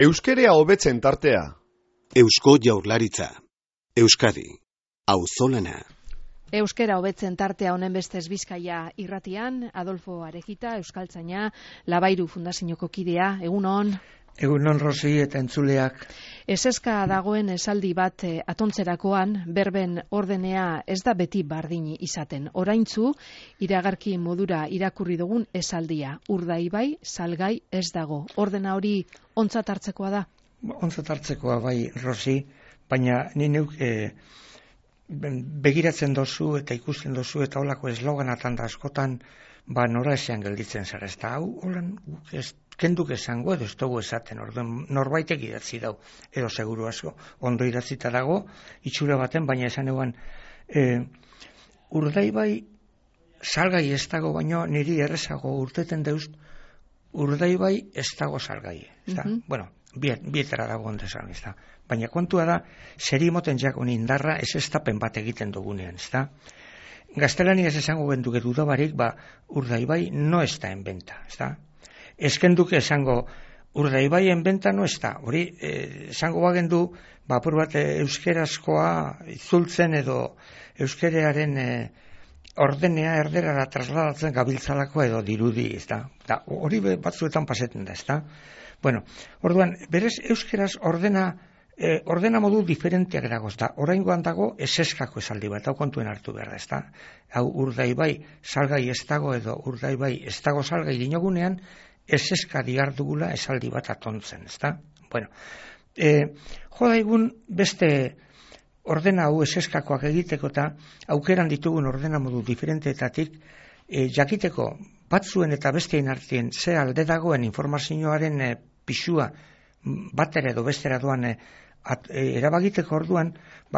Euskerea hobetzen tartea. Eusko Jaurlaritza. Euskadi. Auzolana. Euskera hobetzen tartea honen bestez Bizkaia irratian, Adolfo Arejita, euskaltzaina, Labairu Fundazioko kidea, egunon. Egunon Rosi eta entzuleak. Eseska dagoen esaldi bat atontzerakoan, berben ordenea ez da beti bardini izaten. Oraintzu, iragarki modura irakurri dugun esaldia. Urdaibai, salgai ez dago. Ordena hori ontzat hartzekoa da? Ontzat hartzekoa bai, Rosi, baina ni neuk begiratzen dozu eta ikusten dozu eta holako esloganatan da askotan nora esean gelditzen zara. Ez da, hau, holan, kenduk esango edo ez dugu esaten, orduan norbaitek idatzi dau, edo seguru asko, ondo idatzita dago, itxura baten, baina esan eguan, Urdaibai salgai ez dago, baino niri errezago urteten deust, Urdaibai ez dago salgai. Bueno, bietara dago ondezan, ez da. Baina kontua da, zeri moten jakon indarra ez estapen bat egiten dugunean, ez da. Gaztelania ez esango genduke dudabarik, Urdaibai no está en venta, ez da. Eskenduke esango Urdaibai en venta no está. Hori, esango bagendu, apur bat euskerazkoa itzultzen edo euskerearen ordenea erderara trasladatzen gabiltzalako edo dirudi, ez da. Hori batzuetan paseten da, ez da. Bueno, orduan, berez euskeraz ordena modu diferenteak dagoz da. Oraingoan dago eseskako esaldi bat, hau kontuen hartu behar da, ez da. Hau Urdaibai salgai ez dago edo Urdaibai ez dago salgai dinogunean, eseska diardugula esaldi bat atontzen, ez da. Bueno, jodaigun beste ordena hau eseskakoak egiteko eta aukeran ditugun ordena modu diferenteetatik jakiteko batzuen eta besteen artien ze alde dagoen informazioaren pisua batera edo bestera doan erabagiteko orduan,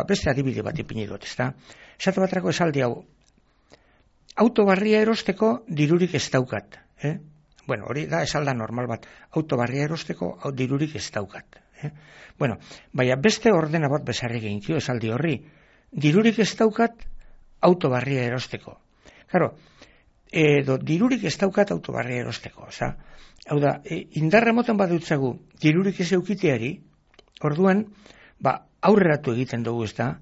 beste adibide bat ipini dut, ez da. Esatu baterako esaldi hau, autobarria erosteko dirurik ez daukat, Bueno, hori da esalda normal bat, autobarria erosteko dirurik ez daukat. Bueno, baina beste ordena bat bezarri gehinkio esaldi horri, dirurik ez daukat autobarria erosteko. Claro, edo dirurik ez daukat autobarria erosteko. Hau da, indarra moten bat dutzagu dirurik ez eukiteari, orduan, aurreratu egiten dugu, ez da,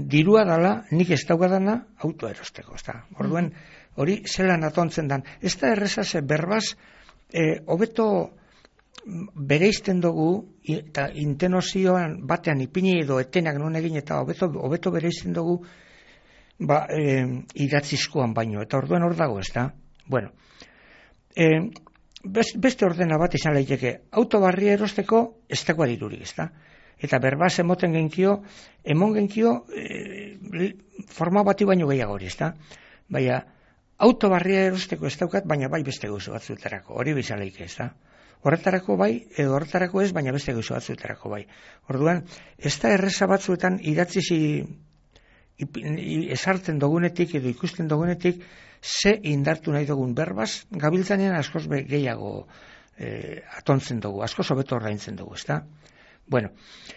dirua dala, nik ez daukadana autoa erosteko, ez da. Orduan, hori zelan atontzen dan. Ez da errezaz, berbaz, hobeto bereizten dugu, eta intenozioan batean ipini edo etenak non egin, eta hobeto bereizten dugu, idatzizkoan baino, eta orduan hor dago, ez da. Bueno, beste ordena bat izan laiteke, autobarria erosteko ez dagoa dirurik, ez da. Eta berbaz emoten genkio, forma bati baino gehiago hori, ez da. Baina, autobarria erosteko ez daukat, baina bai beste gauza batzuetarako, hori bizaleik, ez da. Horretarako bai, edo horretarako ez, baina beste gauza batzuetarako bai. Orduan, ez da erreza batzuetan idatzizi esartzen dugunetik edo ikusten dugunetik ze indartu nahi dugun berbaz, gabiltzanean askoz gehiago atontzen dugu, askoz hobeto ordaintzen dugu, ez da. Bueno,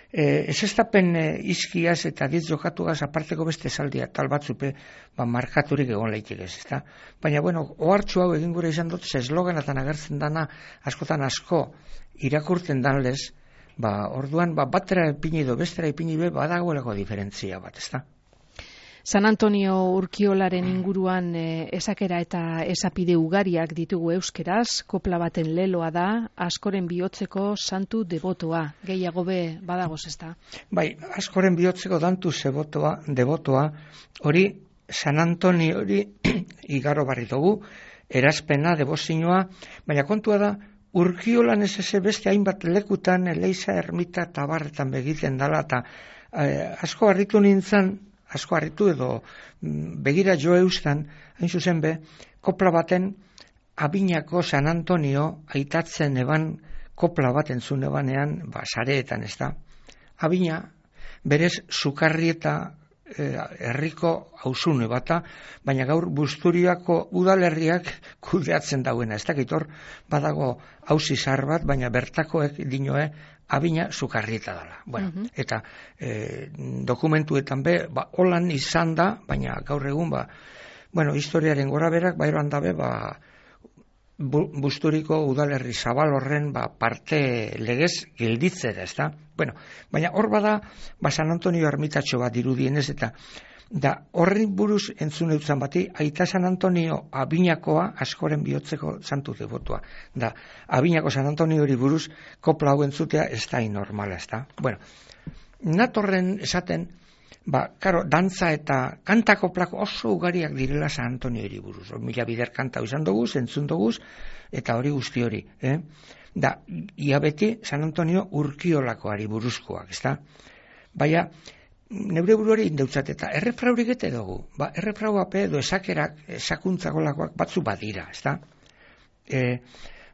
ez estapen izkiaz eta ditz jokatugaz aparteko beste esaldia tal batzupe markaturik egon leitik ez da. Baina, bueno, ohartxu hau egin gure izan dut, esloganatan agertzen dana askotan asko irakurtzen danlez, orduan batera ipini edo bestera ipini badagoelako diferentzia bat, ez da. San Antonio Urkiolaren inguruan esakera eta esapide ugariak ditugu euskeraz, kopla baten leloa da, askoren bihotzeko santu debotoa, gehiago badagoz ez da? Bai, askoren bihotzeko dantu debotoa, hori San Antonio hori igaro barri dugu, erazpena, debozinoa, baina kontua da, Urkiolan ez beste hainbat lekutan, Leiza, Ermita eta barretan begiten dala, eta asko harritu edo begira jo eustan, hain zuzen kopla baten Abinako San Antonio aitatzen eban kopla bat entzun ebanean, sareetan ez da. Abina, berez, sukarri eta herriko hausune bata, baina gaur Busturiako udalerriak kudeatzen dauena. Ez dakit hor, badago hausi zahar bat, baina bertakoek dinoe Abina sukarrieta dela. Bueno, eta dokumentuetan holan izan da, baina gaur egun, historiaren gora berak, eroan dabe, Busturiko udalerri zabal horren parte legez gelditzera, ezta? Bueno, baina hor bada, San Antonio ermitatxo bat dirudienez, eta horren buruz entzun eutzan bati, Aita San Antonio Abinakoa askoren bihotzeko santu devotua. Abinako San Antonio hori buruz kopla hau entzutea ez da inormala, ezta? Bueno, natorren esaten, karo, dantza eta kantako plako oso ugariak direla San Antonio hiri buruz. Mila bider kanta izan dugu, entzun dugu, eta hori guzti hori. Ia beti San Antonio Urkiolakoari buruzkoak, ezta? Baina, neure buruari indeutzat eta errefraurik ete dugu. Errefrauape edo esakerak, esakuntzakolakoak batzu badira, ezta?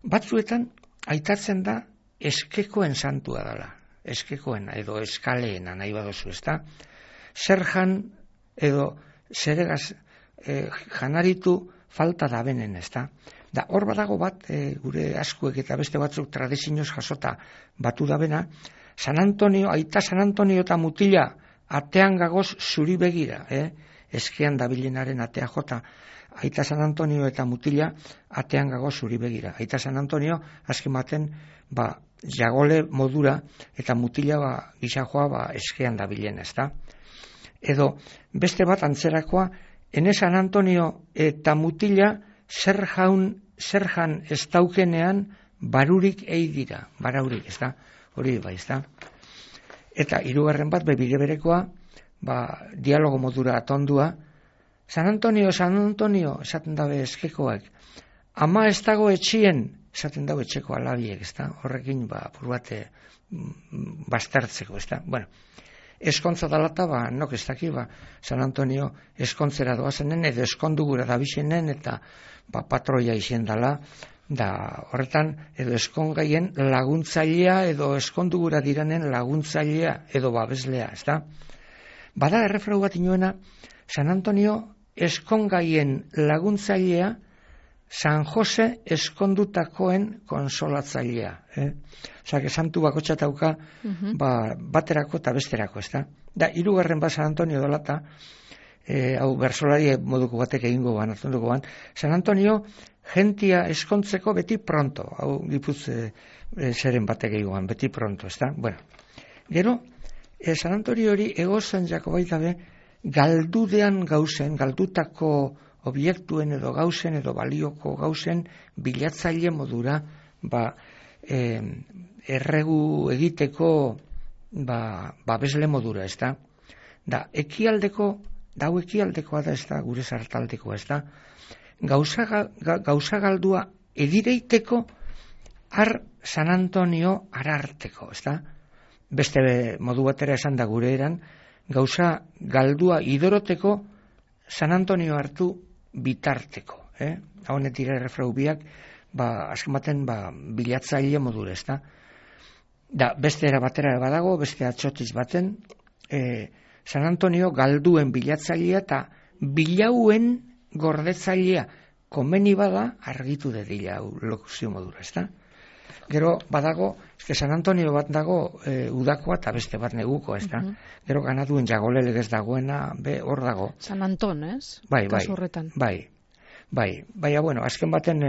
Batzuetan, aitatzen da eskekoen santua dela. Eskekoen edo eskaleena nahi badozu, ezta? Zer jan edo zeregaz janaritu falta da benen, ezta? Hor badago bat, gure askuek eta beste batzuk tradizioz jasota batu da bena, San Antonio, Aita San Antonio eta mutila atean gagoz zuri begira, eskean dabilenaren atea jota, Aita San Antonio eta mutila atean gagoz zuri begira. Aita San Antonio, azken baten, jagole modura eta mutila gizajoa eskean dabilen, ezta? Edo beste bat antzerakoa, ene San Antonio eta mutila zer jan ez daukenean barurik dira, baraurik, ez da? Hori bai, ez da? Eta hirugarren bat, bide berekoa, dialogo modura atondua, San Antonio, esaten dabe eskekoak, ama ez dago etxien, esaten dago etxeko alabiek, ez da? Horrekin, purbate bastartzeko, ez da? Bueno, eskontza dalata, nok ez daki, San Antonio eskontzera doazenen, edo eskondugura dabixenen, eta patroia izen dala, horretan, edo eskongaien laguntzailea, edo eskondugura diranen laguntzailea, edo babeslea, ez da? Bada errefrau bat inoena, San Antonio eskongaien laguntzailea, San Jose eskondutakoen konsolatzailea. Osea, santu bakotxatauka baterako eta besterako, ez da? Hirugarren San Antonio dolata, hau bersolari moduko batek egingo atunduko San Antonio jentia eskontzeko beti pronto, hau gipuz zeren batek egingo beti pronto, ez da? Bueno, gero, San Antonio hori egozen jako baita be, galdudean gauzen, galdutako objektuen edo gauzen edo balioko gauzen bilatzaile modura erregu egiteko babesle modura, ez da? Hau ekialdekoa da, ez da, gure sartaldekoa, ez da? Gauza galdua edireiteko har San Antonio ararteko, ez da? Beste modu batera esan da gure eran, gauza galdua idoroteko San Antonio hartu bitarteko, hau netira errefrau biak, azken baten bilatzaile modura, ez da? Beste era batera badago, beste atxotiz baten, San Antonio galduen bilatzailea eta bilauen gordetzailea komeni bada argitu dedila lokuzio modura, ez da? Gero badago, San Antonio bat dago udakoa eta beste bat neguko, ez da? Gero ganaduen jagole legez dagoena, hor dago. San Anton, ez? Bai. Baina, bueno, azken baten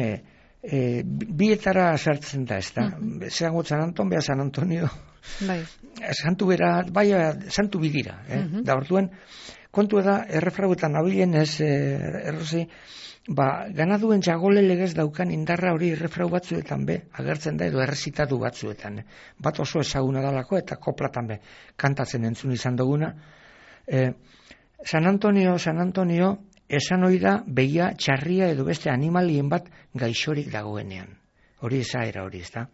bietara sartzen da, ez da? Zerango San Anton, beha San Antonio, santu bera, santu bidira, da orduan, kontua da, errefrauetan nabilen ez, errozi, ganaduen jagole legez daukan indarra hori errefrau batzuetan agertzen da edo errezitatu batzuetan. Bat oso ezaguna dalako eta koplatan kantatzen entzun izan duguna. San Antonio, esan hori da behia txarria edo beste animalien bat gaixorik dagoenean. Hori esaera hori, ez da?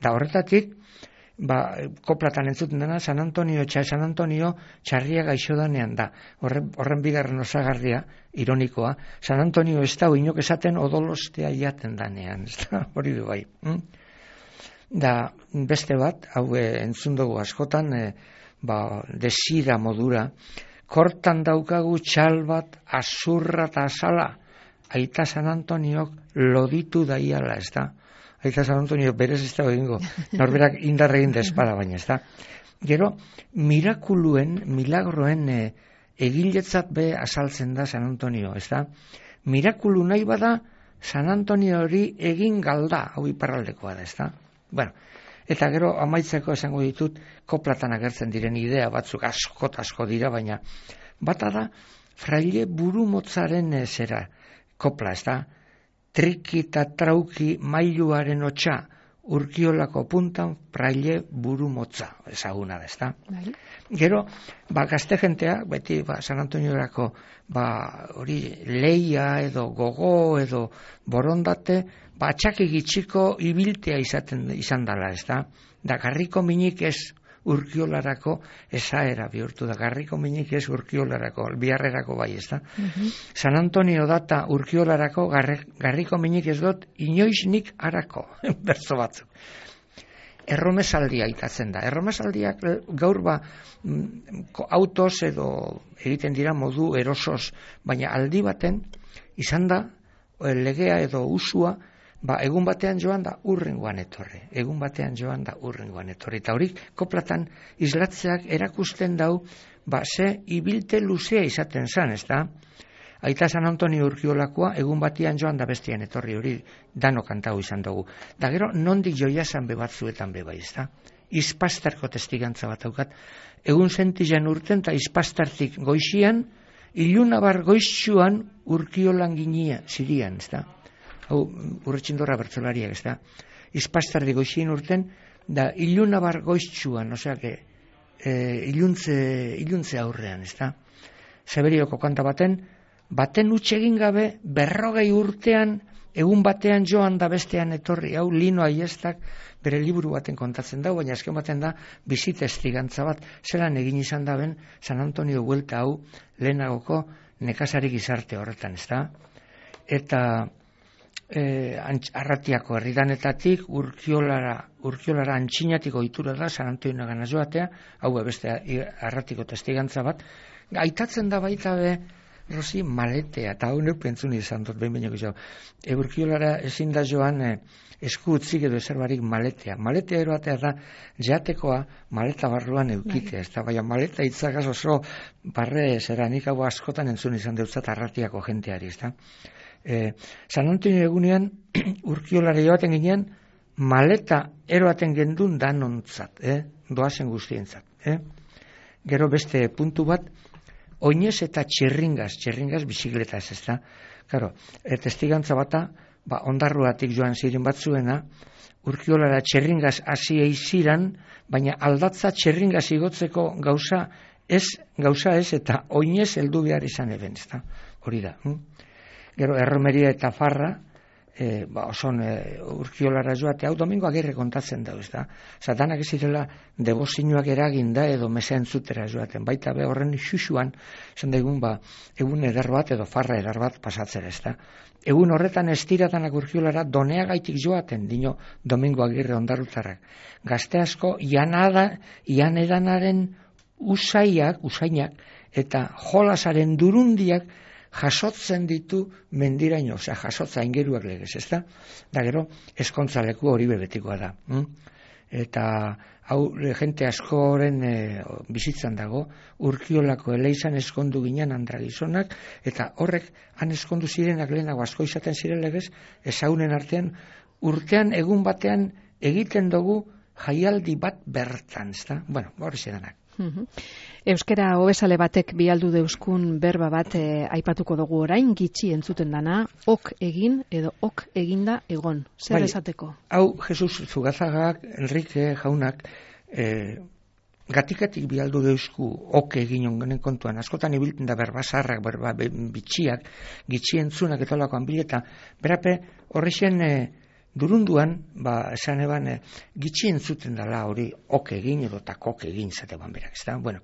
Da horretatik, koplatan entzuten dena, San Antonio txarria gaixo danean da. Horren bigarren osagarria, ironikoa, San Antonio ez da inok esaten odolostea jaten danean, ez da? Hori du bai. Da beste bat, hau entzun dugu askotan, desira modura, kortan daukagu txal bat, azurra eta azala, Aita San Antoniok loditu daiala, ez da? Aita San Antonio berez ez dago egingo, norberak indarregin despada baina, ez da? Gero, milagroen egiletzat azaltzen da San Antonio, ez da? Mirakulu nahi bada, San Antonio hori egin galda, hau iparraldekoa da, ezta? Bueno, eta gero amaitzeko esango ditut, koplatan agertzen diren idea batzuk asko dira, baina bata da, fraile burumotzaren zera kopla, ezta? Triki eta trauki mailuaren hotxa, Urkiolako puntan fraile burumotza, ezaguna da, ezta? Gero, gazte jentea, beti San Antoniorako hori leia edo gogo edo borondate, atxaki gitxiko ibiltea izan dela, ezta? Da garriko minik ez Urkiolarako esaera bihurtu da, garriko minik ez Urkiolarako, biharrerako bai, ezta? San Antonio data Urkiolarako, garriko minik ez dut inoiznik harako, berzo batzuk. Erromesaldia itatzen da. Erromesaldiak gaur autoz edo egiten dira modu erosoz, baina aldi baten izan da legea edo usua, egun batean joan da urrengoan etorri. Egun batean joan da urrengoan etorri. Eta horik koplatan islatzeak erakusten dau, ze ibilte luzea izaten zan, ez da? Aita San Antonio Urkiolakoa egun batian joan da bestian etorri, hori dano kantau izan dugu. Da gero nondik joiazan batzuetan bai, ez da? Izpastarko testigantza bat daukat. Egun sentizan urten eta izpastartik goizian, ilunabar goiztsuan Urkiolan ginia zirian, ez da? Hau, Urretxindorra bertzolariak, ez da? Izpastardi goizien urten, da ilunabar goiztsuan, oseak, iluntze aurrean, ez da? Zeberioko kanta baten utxegin gabe, 40 urtean, egun batean joan da bestean etorri, hau Lino Aiestak bere liburu baten kontatzen da, baina azken baten da bizitestigantza bat, zelan egin izan da ben San Antonio buelta hau lehenagoko nekazari gizarte horretan, ez da? Eta Arratiako herridanetatik Urkiolara antxinatik ohitura da San Antonio gana joatea, hau beste Arratiko testigantza bat, aitatzen da baita Rosi maletea, eta hau neuk pentsun izan dut, behin baino gehiago. Urkiolara ezin da joan esku utzik edo eserbarik maletea. Maletea eroatea da jatekoa maleta barruan eukitea, ez da, baina maleta itzagaz oso barre zeranik hau askotan entzun izan deutzat Arratiako jenteari, ez da. San Antonio egunean Urkiolara joaten ginean maleta eroaten gendun danontzat, doazen guztientzat. Gero beste puntu bat, oinez eta txirringaz bizikletaz, ez da. Claro, testigantza bata, ondarruatik joan ziren batzuena, Urkiolara txirringaz hasi eiziran, baina aldatza txirringaz igotzeko gauza ez eta oinez heldu behar izan eben, ez da. Hori da. Gero erromeria eta farra, oson Urkiolara joate, hau Domingo Agirre kontatzen da, ez da. Danak ez zirela debozioak eragin da edo mesa entzutera joaten, baita horren xuxuan, esan da egun eder bat edo farra eder bat pasatzera, ez da. Egun horretan estiratanak Urkiolara Doneagaitik joaten, dino Domingo Agirre ondarrutarrak. Gazte asko ianedanaren usainak eta jolasaren durundiak jasotzen ditu mendiraino, jasotza ingeruak legez, ez da? Da gero, eskontzaleku hori bebetikoa da. Eta hau jente askoren bizitzan dago, Urkiolako eleizan eskondu ginen andragizonak, eta horrek han eskondu zirenak lehenago asko izaten ziren legez, ezaunen artean, urtean egun batean egiten dugu jaialdi bat bertan, ez da? Bueno, hori zedanak. Euskara hobesale batek bialdu deuskun berba bat aipatuko dugu orain, gitxi entzuten dana, ok egin edo ok eginda egon. Zer esateko? Hau, Jesus Zugazagak, Enrique jaunak, gatikatik bialdu deusku ok egin ongonen kontuan. Askotan ibilten da berba zarrak, berba bitxiak, gitxi entzunak eta olakoan bileta. Berape, horrexen durunduan, esan eban, gitxi entzuten dela hori ok egin edo takok egin zateban berak, ez da? Bueno,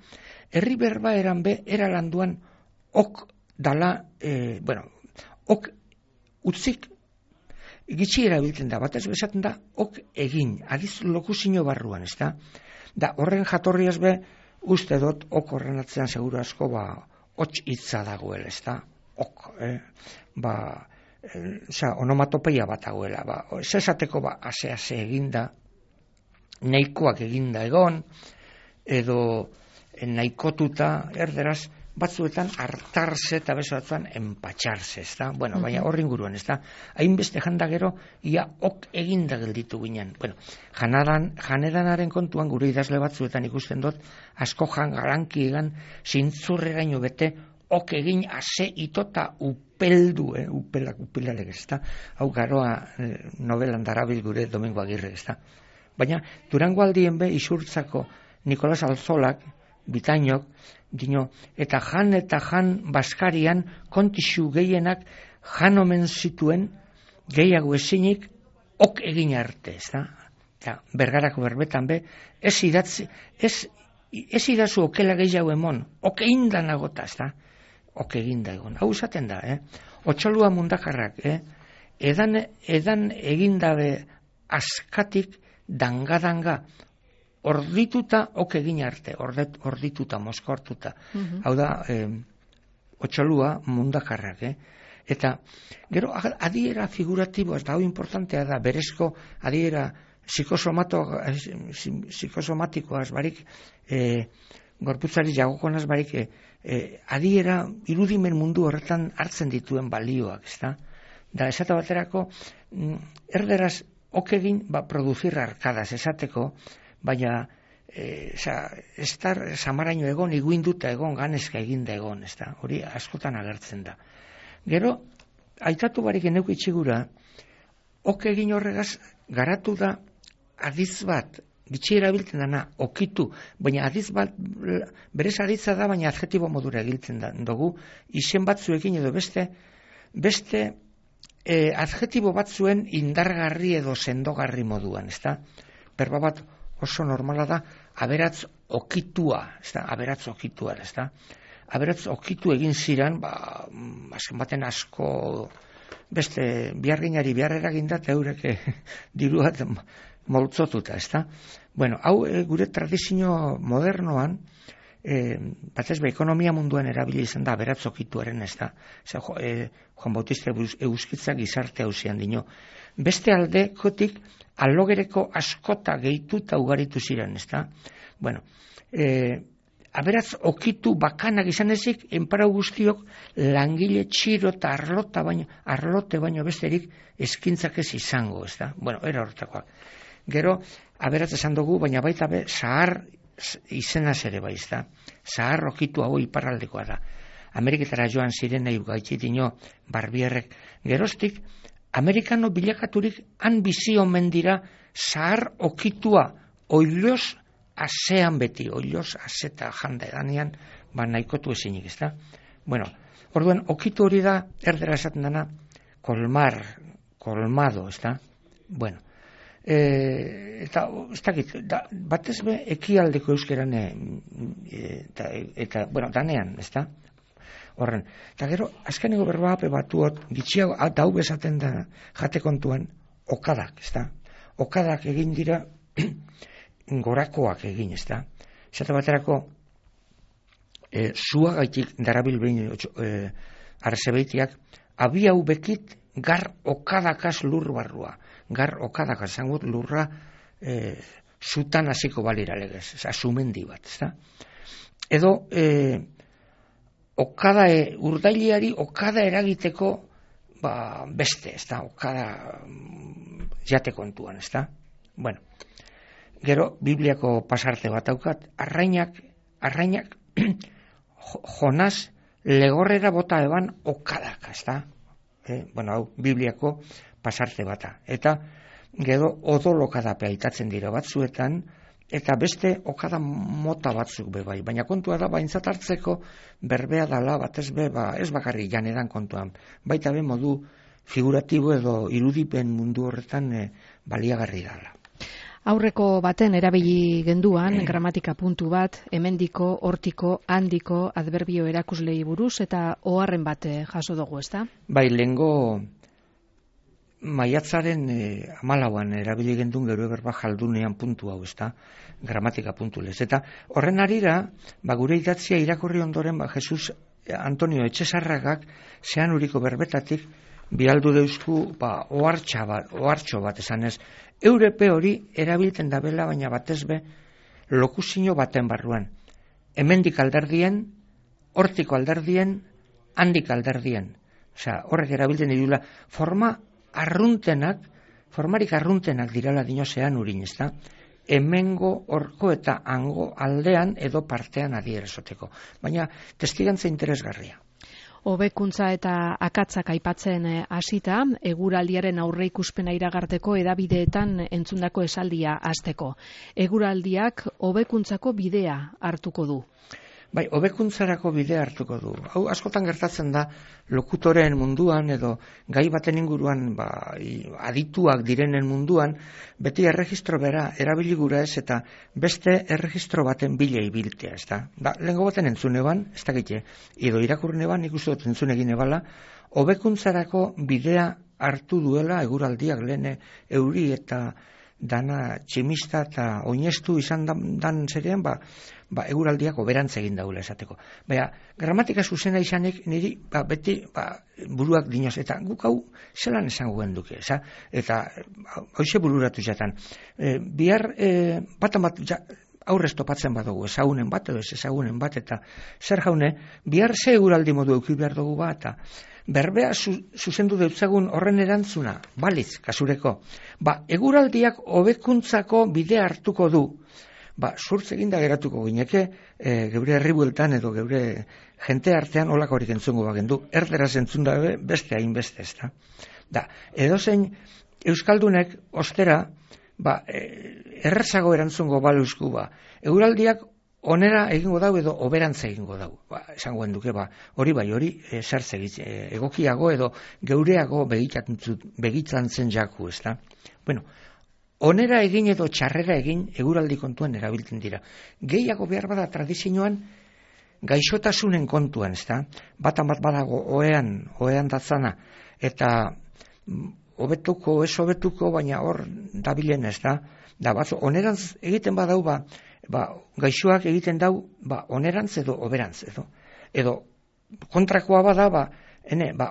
herri berba eran era landuan ok dala, ok utzik gitxi erabiltzen da, batez bezaten da ok egin, adiz lokuzio barruan, ez da? Da, horren jatorriaz uste dut ok horren atzean seguru asko, hots hitza dagoela, ez da? Ok, onomatopeia bat dagoela, esateko ase eginda, nahikoak eginda egon, edo nahikotuta, erderaz, batzuetan hartarse eta beste batzuetan empatxarse, ezta? Bueno, baina horri inguruan, ezta? Hainbeste janda gero, ia ok eginda gelditu ginen. Bueno, janedanaren kontuan gure idazle batzuetan ikusten dut, asko garanki egan, zintzurreraino bete, ok egin ase itota upeldu, upelalek, ezta? Hau garoa novelan darabil gure Domingo Agirre, ezta? Baina, Durango aldien be, Isurtzako Nikolas Alzolak, Bitainok, dino, eta jan Baskarian kontixu gehienak jan omen zituen gehiago ezinik ok egin arte, ezta? Eta Bergarako berbetan be, ez idazu okela gehiago emon, ok egin da nagota, ezta? Ok egin da egon. Hau esaten da, Otxolua Mundakarrak, edan egin dabe askatik danga, ordituta ok egin arte, ordituta, mozkortuta. Hau da, Otxolua Mundakarrak, Eta, gero, adiera figuratiboa, eta hau importantea da, berezko adiera psikosomatikoaz barik, gorputzari jagokonaz barik, adiera irudimen mundu horretan hartzen dituen balioak, ezta? Da, esate baterako, erderaz, ok egin, produzir arkadas, esateko, baina, estar samaraino egon, iguinduta egon, ganezka eginda egon, ezta? Hori askotan agertzen da. Gero, aitatu barik eneuko itxigura, ok egin horregaz, garatu da adiz bat, gitxi erabiltzen dana, okitu, baina adiz bat, berez aditza da, baina adjetibo modura egiltzen da, dugu, izen batzuekin edo beste adjetibo batzuen indargarri edo sendogarri moduan, ezta? Berba bat oso normala da, aberatz okitua, ezta? Aberatz okitua, ezta? Aberatz okitu egin ziren, azken baten asko, beste biharginari biharrera ginda, eta eurek diruat moltzotuta, ezta? Bueno, hau gure tradizio modernoan, batez be, ekonomia munduan erabili izan da, aberatz okituaren, ezta? Juan Bautista Euskitza gizarte hausian dino. Beste aldekotik, alogereko askota gehituta ugaritu ziren, ezta? Bueno, aberatz okitu bakanak izan ezik, enparau guztiok langile txiro eta arlote baino besterik eskintzak ez izango, ezta? Bueno, era horretakoak. Gero, aberatz esan dugu, baina baita be, zahar izenaz ere bai, ezta? Zahar okitu hau iparraldekoa da. Ameriketara joan ziren nahi gaitxitino Barbierrek. Geroztik, amerikano bilakaturik han bizi omen dira zahar okitua oiloz asean beti, oiloz aseta janda edanean, nahikotu ezinik, ezta? Bueno, orduan, okitu hori da, erdera esaten dana, kolmado, ezta? Bueno, eta, ez dakit, batez be, ekialdeko euskeran, eta, bueno, danean, ezta? Horren, eta gero, azkeneko berba hape batuot, gitxiago, dau bezaten da, jate kontuan, okadak, ezta? Okadak egin dira, gorakoak egin, ezta? Zate baterako, zuagaitik darabil behin arzebeitiak, abiau bekit gar okadakaz lur barrua. Gar okadakaz, zangut lurra zutan hasiko balira legez, sumendi bat, ezta? Edo, urdailiari okada eragiteko beste, ezta? Okada jate kontuan, ezta? Bueno, gero, Bibliako pasarte bat daukat, arrainak, Jonas legorrera bota eban okadak, ezta? Bueno, hau, Bibliako pasarte bata. Eta, gero, odolokadapea aitatzen dira batzuetan, eta beste okada mota batzuk bebai. Baina kontua da, baintzat hartzeko berbea dala, batez be, ez bakarri janedan kontuan. Baita be modu figuratibo edo irudipen mundu horretan baliagarri dala. Aurreko baten erabili genduan, gramatika puntu bat, hemendiko, hortiko, handiko, adverbio erakuslei buruz, eta oharren bat jaso dugu, ezta? Bai, lehengo maiatzaren 14an erabili gendun gero berba jaldunean puntu hau, ezta? Gramatika puntu lez. Eta horren arira, gure idatzia irakurri ondoren, Jesus Antonio Etxesarragak, zean uriko berbetatik, bialdu deusku, ohartxo bat esan ez. Eurepe hori erabiltzen dabela, baina batez be, lokusino baten barruan. Hemendik alderdien, hortiko alderdien, handik alderdien. Osea, horrek erabiltzen dirula formarik arruntenak dirala dinosean urin, ezta? Hemengo, horko eta hango aldean edo partean adierazoteko. Baina testigantza interesgarria. Hobekuntza eta akatzak aipatzen hasita, eguraldiaren aurreikuspena iragarteko edabideetan entzundako esaldia hasteko. Eguraldiak hobekuntzako bidea hartuko du. Bai, hobekuntzarako bidea hartuko du. Hau askotan gertatzen da lokutoren munduan edo gai baten inguruan adituak direnen munduan, beti erregistro bera erabili gura ez eta beste erregistro baten bila ibiltea, ez da. Lehengo baten entzune ban, ez dakite, edo irakurne ban, ikustu dut entzune egine bala, hobekuntzarako bidea hartu duela eguraldiak lehen euri eta dana tximista eta oinestu izan dan zerean, eguraldiak oberantz egin daula esateko. Baina, gramatika zuzena izanik niri beti buruak dinoz, eta guk hau zelan esango genduke, eta hoxe bururatu jatan. Bihar batan bat aurrez topatzen badugu, ezagunen bat edo ez ezagunen bat, eta zer jaune, bihar ze eguraldi modu euki behar dugu bat, eta berbea zuzendu deutzagun horren erantzuna, balitz, kasureko. Eguraldiak hobekuntzako bidea hartuko du. Zurtz eginda geratuko gineke, geure herribueltan edo geure jente artean olakorik entzungo bagendu, erderaz entzun dabe beste hainbeste ez da. Edozein euskaldunek ostera, errezago erantzungo baluzku, eguraldiak onera egingo dau edo oberantza egingo dau. Esango genduke, hori zertz egokiago edo geureago begitzen zen jaku, ez da. Onera egin edo txarrera egin eguraldi kontuan erabiltzen dira. Gehiago behar bada tradizioan gaixotasunen kontuan, ez da? Batan bat badago oean datzana, eta hobetuko, ez hobetuko, baina hor dabilen, ez da? Onerantz egiten badau, gaixoak egiten dau, onerantz edo oberantz, edo kontrakoa bada,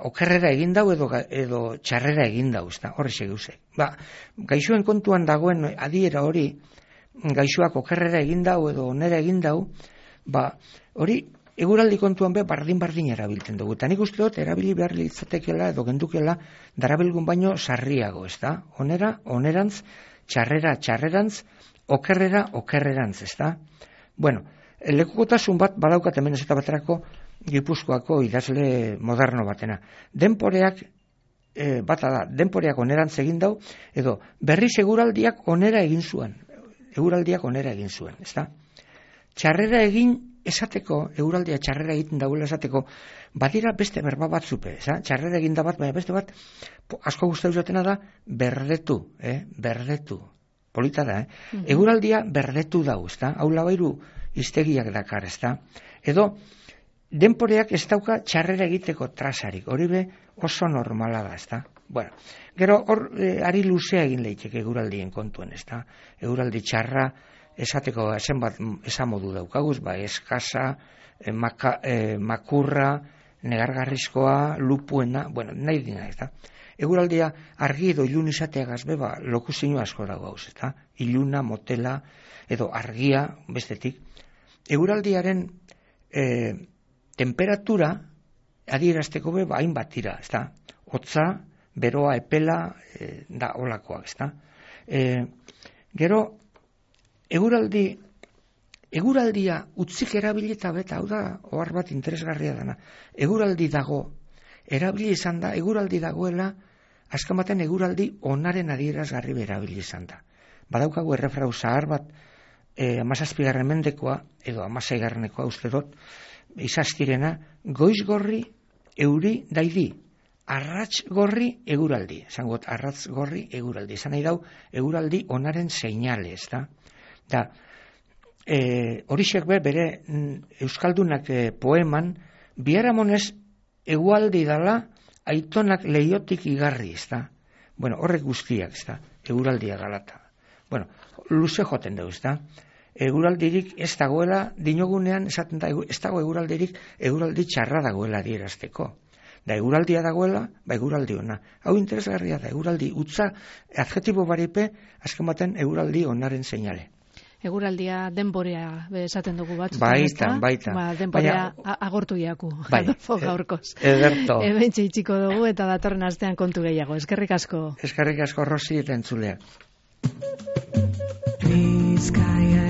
okerrera egin dau edo txarrera egin dau, horre segeuze. Gaixoen kontuan dagoen adiera hori, gaixoak okerrera egin dau edo onera egin dau, hori eguraldi kontuan bardin erabiltzen dugu. Eta nik uste dut erabili behar litzatekela edo gendukela darabilgun baino sarriago, ez da? Onera, onerantz, txarrera, txarrerantz, okerrera, okerrerantz, ez da? Lekukotasun bat badaukat hemen ez eta baterako Gipuzkoako idazle moderno batena. Denporeak onerantz egin dau, edo berriz eguraldiak onera egin zuen. Ez da? Txarrera egin esateko, eguraldia txarrera egiten dagoela esateko, badira beste berba batzupe, txarrera egin da bat, baina beste bat, asko guztau zatena da, berdetu. Polita da, Eguraldia berdetu dau, ez da? Hau labairu iztegiak dakar, ez da? Edo, denporeak ez dauka txarrera egiteko trasarik, hori be oso normala da, ez da? Gero hor ari luzea egin leiteke eguraldien kontuen, ez da? Eguraldi txarra esateko zenbat esan modu daukaguz, eskasa, makurra, negargarrizkoa, lupuena, nahi dina, ez da? Eguraldia argi edo ilun izateagaz beba lokuzio asko dago hauz, ez da? Iluna, motela, edo argia, bestetik. Eguraldiaren temperatura adierazteko hainbat dira, ez da? Hotza, beroa, epela, da olakoak, ez da? Gero, eguraldia utzik erabilita beta, hau da, ohar bat interesgarria dana. Eguraldi dago, erabili izan da, eguraldi dagoela, azken baten eguraldi onaren adierazgarri erabili izan da. Badaukagu errefrau zahar bat, 17. mendekoa, edo 16. uste dut, izaztirena, goiz gorri euri daidi, arratz gorri eguraldi. Zangot, arratz gorri eguraldi. Zan nahi dau, eguraldi onaren seinale, ez da? Horixek bere euskaldunak poeman, biharamonez egualdi dala aitonak leiotik igarri, ez da? Horrek guztiak, ez da? Eguraldia galata. Luze joten dugu, ez da? Eguraldirik ez dagoela, dinogunean esaten da, ez dago eguraldirik, eguraldi txarra dagoela adierazteko. Da eguraldia dagoela, eguraldi ona. Hau interesgarria da, eguraldi utza, adjetibo baripe, azken baten eguraldi onaren seinale. Eguraldia denborea esaten dugu batzutan. Baita. Ba, denborea agortu iaku, Adolfo gaurkoz. Ederto. Hementxe itxiko dugu eta datorren astean kontu gehiago. Eskerrik asko. Eskerrik asko, Rosi, eta entzuleak. Bizkaia